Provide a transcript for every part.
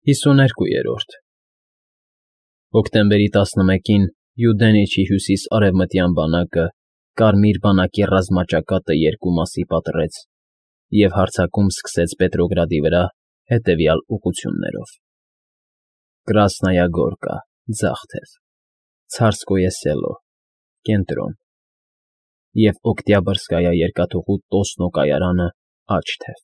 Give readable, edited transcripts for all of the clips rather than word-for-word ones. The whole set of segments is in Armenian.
52-րդ Հոկտեմբերի 11-ին Յուդենիչի հյուսիս֊արևմտյան բանակը Կարմիր բանակի ռազմաճակատը երկու մասի պատռեց և հարձակում սկսեց Պետրոգրադի վրա հետևյալ ուղղություններով. Կրասնայա Գորկա, ձախ թև, Ցարսկոյե Սելո, կենտրոն և Օկտյաբրսկայա երկաթուղու Տոսնո կայարանը, աջ թև։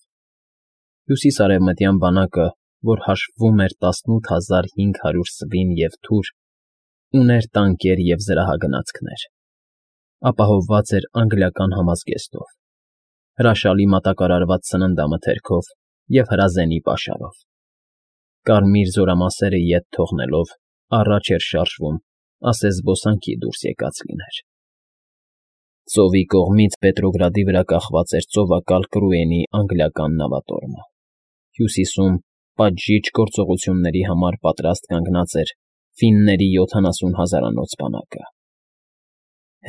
Հյուսիս֊արևմտյան բանակը, որ հաշվում էր 18500 սվին և թուր, ուներ տանկեր և զրահագնացքներ, ապահովված էր անգլիական համազգեստով, հրաշալի մատակարարված սննդամթերքով և հրազենի պաշարով։ Կարմիր զորամասերը ետ թողնելով, առաջ էր շարժվում, ասես զբոսանքի դուրս եկած լիներ։ Ծովի կողմից Պետրոգրադի վրա կախված էր ծովակալ Կրուենի անգլիական նավատորմը, հյուսիսում պատժիչ գործողությունների համար պատրաստ կանգնած էր ֆինների 70 հազարանոց բանակը։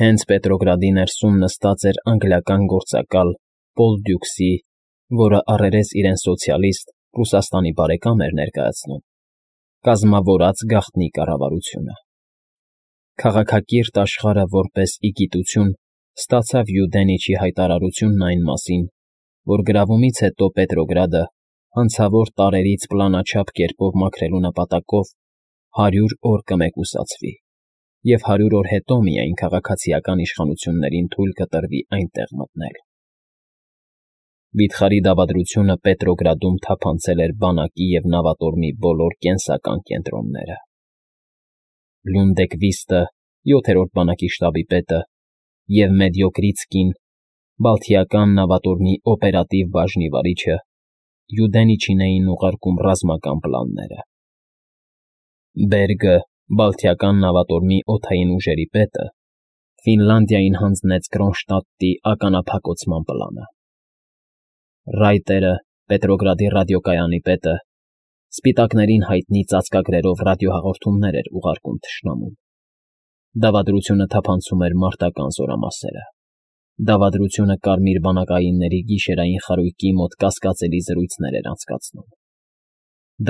Հենց Պետրոգրադի ներսում նստած էր անգլիական գործակալ Պոլ Դյուքսի, որը առերես իրեն սոցիալիստ Ռուսաստանի բարեկամ էր ներկայացնում, կազմավորած գաղտնի կառավարությունը։ Քաղաքակիրթ աշխարհը որպես իգիտություն ստացավ Յուդենիչի հայտարարությունն այն մասին, որ գրավումից հետո Պետրոգրադը հանցավոր տարրերից պլանաչափ կերպով մաքրելու նպատակով 100 օր կմեկուսացվի և 100 օր հետո միայն քաղաքացիական իշխանություններին թույլ կտրվի այնտեղ մտնել։ Վիթխարի դավադրությունը Պետրոգրադում թափանցել էր բանակի և նավատորմի բոլոր կենսական կենտրոնները։ Լյունդեկվիստը, 7-րդ բանակի շտաբի պետը, և Մեդյոկրիտսկին, Բալթիական նավատորմի օպերատիվ բաժնի վարիչը, Յուդենիչին էին ուղարկում ռազմական պլանները։ Բերգը, Բալթիական նավատորմի օդային ուժերի պետը, Ֆինլանդիային հանձնեց Կրոնշտադտի ականափակոծման պլանը։ Ռայտերը, Պետրոգրադի ռադիոկայանի պետը, սպիտակներին հայտնի ծածկագրերով ռադիոհաղորդումներ էր ուղարկում թշնամուն։ Դավադրությունը թափանցում էր մարտական զորամասերը։ Դավադրությունը կարմիր բանակայինների գիշերային խարույկի մոտ կասկածելի զրույցներ էր անցկացնում։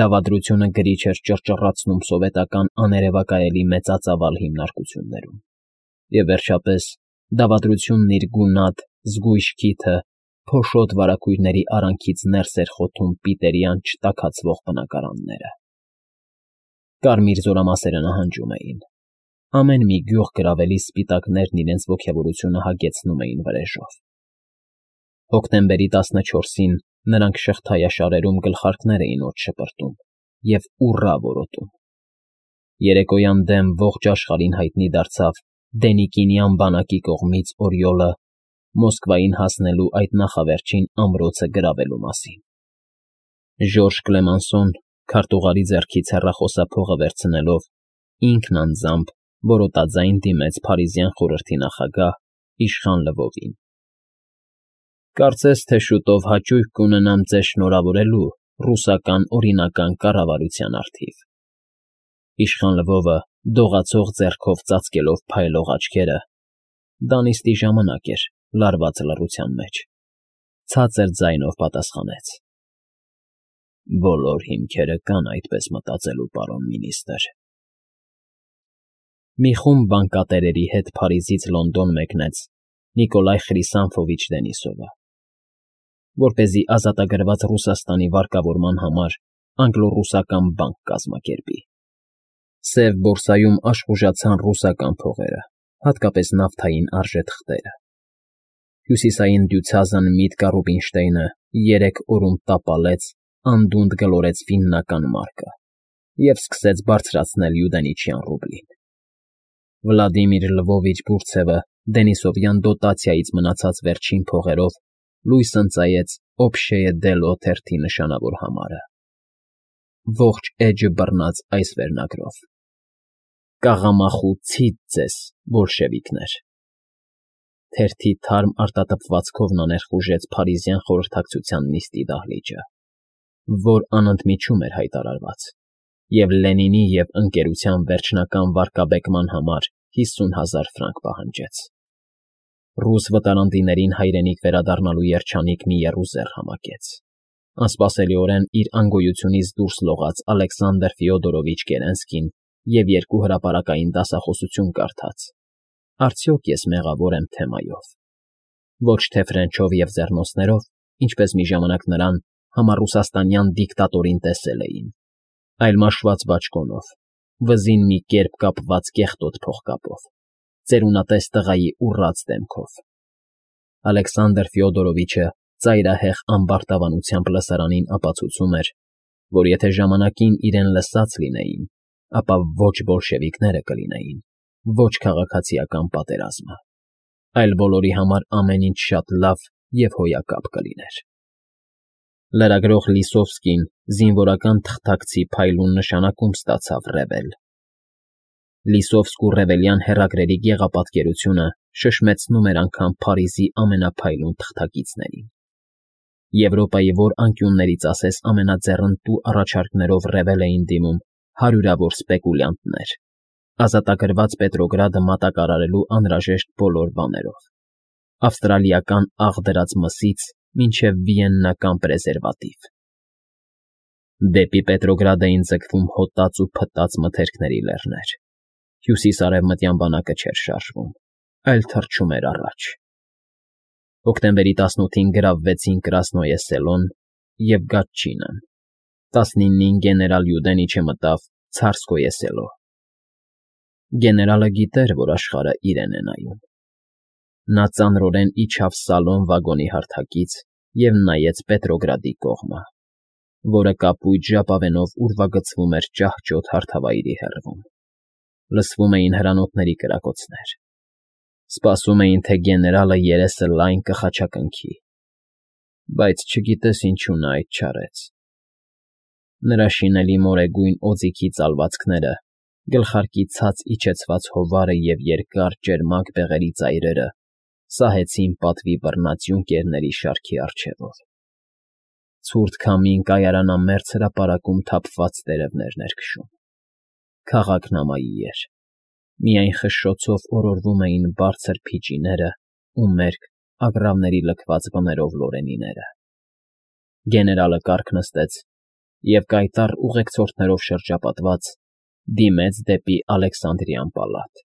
Դավադրությունը գրիչ էր ճռճռացնում սովետական աներևակայելի մեծածավալ հիմնարկություններում։ Եվ վերջապես, դավադրությունն իր գունատ, զգույշ քիթը փոշոտ վարագույրների արանքից ներս էր խոթում պիտերյան չտաքացվող բնակարանները։ Կարմիր զորամասերը նահանջում էին։ Ամեն մի գյուղ գրավելի սպիտակներն իրենց ոգևորությունը հագեցնում էին վրեժով։ Հոկտեմբերի 14-ին նրանք շղթայաշարերում գլխարկներ էին օդ շպրտում և ուռա որոտում։ Երեկոյան դեմ ողջ աշխարհին հայտնի դարձավ Դենիկինյան բանակի կողմից Օրիոլը Մոսկվային հասնելու այդ նախավերջին ամրոցը գրավելու մասին։ Ժորժ Կլեմանսոն, քարտուղարի ձեռքից հեռախոսափողը վերցնելով, ինքն անձամբ որոտաձայն դիմեց Փարիզյան խորհրդի նախագահ իշխան Լվովին։ Կարծես թե շուտով հաճույք կունենամ ձեզ շնորհավորելու ռուսական օրինական կառավարության առթիվ։ Իշխան Լվովը, դողացող ձեռքով ծածկելով փայլող աչքերը, դա նիստի ժամանակ էր, լարված լռության մեջ, ցածր ձայնով պատասխանեց. Բոլոր հիմքերը կան այդպես մտածելու, պարոն մինիստր։ Մի խումբ բանկատերերի հետ Փարիզից Լոնդոն մեկնեց Նիկոլայ Խրիսանֆովիչ Դենիսովը, որպեսզի ազատագրված Ռուսաստանի վարկավորման համար անգլո֊ռուսական բանկ կազմակերպի։ Սև բորսայում աշխուժացան ռուսական փողերը, հատկապես նավթային արժեթղթերը։ Հյուսիսային Դյուցազն Միտկա Ռուբինշտեյնը 3 օրում տապալեց, անդունդը գլորեց ֆիննական մարկը և սկսեց բարձրացնել յուդենիչյան ռուբլին։ Վլադիմիր Լվովիչ Բուրցևը Դենիսովյան դոտացիայից մնացած վերջին փողերով լույս ընծայեց Օբշեյե Դելո թերթի նշանավոր համարը։ Ողջ էջը բռնած այս վերնագրով. Կաղամախու ցիծ ձեզ, բոլշևիկներ։ Թերթի թարմ արտատպվածքով նա ներխուժեց Փարիզյան խորհրդակցության նիստի դահլիճը, որ անընդմիջում էր հայտարարված, և Լենինի և Ընկերության վերջնական վարկաբեկման համար 50,000 ֆրանկ պահանջեց։ Ռուս վտարանդիներին հայրենիք վերադառնալու երջանիկ մի եռուզեռ համակեց։ Անսպասելիորեն իր անգոյությունից դուրս լողաց Ալեքսանդր Ֆյոդորովիչ Կերենսկին և երկու հրապարակային դասախոսություն կարդաց. «Արդյոք ես մեղավոր եմ թեմայով»։ Ոչ թե Ֆրենչով և ձեռնոցներով, ինչպես մի ժամանակ նրան համառուսաստանյան դիկտատորին տեսել էին, այլ մաշված բաճկոնով, վզին մի կերպ կապված կեղտոտ փողկապով, ծերունատես տղայի ուռած դեմքով։ Ալեքսանդր Ֆյոդորովիչը ծայրահեղ ամբարտավանությամբ լսարանին ապացուցում էր, որ եթե ժամանակին իրեն լսած լինեին, ապա ոչ բոլշևիկները կլինեին, ոչ քաղաքացիական պատերազմը, այլ բոլորի համար ամեն ինչ շատ լավ և հոյակապ կլիներ։ Լրագրող Լիսովսկին զինվորական թղթակցի փայլուն նշանակում ստացավ ռևել։ Լիսովսկու ռևելյան հեռագրերի գեղապատկերությունը շշմեցնում էր անգամ Փարիզի ամենափայլուն թղթակիցներին։ Եվրոպայի որ անկյուններից ասես ամենաձեռնտու առաջարկներով ռևել էին դիմում հարյուրավոր սպեկուլյանտներ, ազատագրված Պետրոգրադը մատակարարելու անհրաժեշտ բոլոր բաներով, ավստրալիական աղ դրած մինչև վիեննական պրեզերվատիվ։ Դեպի Պետրոգրադ էին ձգվում հոտած ու փտած մթերքների լեռներ, հյուսիս֊արևմտյան բանակը չէր շարժվում, այլ թռչում էր առաջ։ Հոկտեմբերի 18-ին գրավվեցին Կրասնոյե Սելոն և Գատչինը, 19-ին գեներալ Յուդենիչը մտավ Ցարսկոյե Սելո։ Գեներալը գիտեր, որ աշխարհը իրեն է նայում։ Նա ծանրորեն իջավ Սալոն վագոնի հարթակից և նայեց Պետրոգրադի կողմը, որը կապույտ ժապավենով ուրվագծվում էր ճահճոտ հարթավայրի հեռվում։ Լսվում էին հրանոթների կրակոցներ։ Սպասում էին, թե գեներալը երեսը լայն կխաչակնքի, բայց չգիտես ինչու նա այդ չարեց։ Նրա շինելի մորեգույն օձիքի ծալվածքները, գլխարկի ցած իջեցված հովարը և երկար ճերմակ բեղերի ծայրերը սահեցին պատվի բռնած յունկերների շարքի առջևով։ Ցուրտ քամին կայարանամերձ հրապարակում թափված տերևներն էր քշում։ Քաղաքն ամայի էր, միայն խշշոցով օրորվում էին բարձր փիճիները ու մերկ, ագռավների լքված բներով լորենիները։ Գեներալը կառք նստեց և կայտառ ուղեկցորդներով շրջապատված դիմեց դեպի Ալեքսանդրյան պալատ։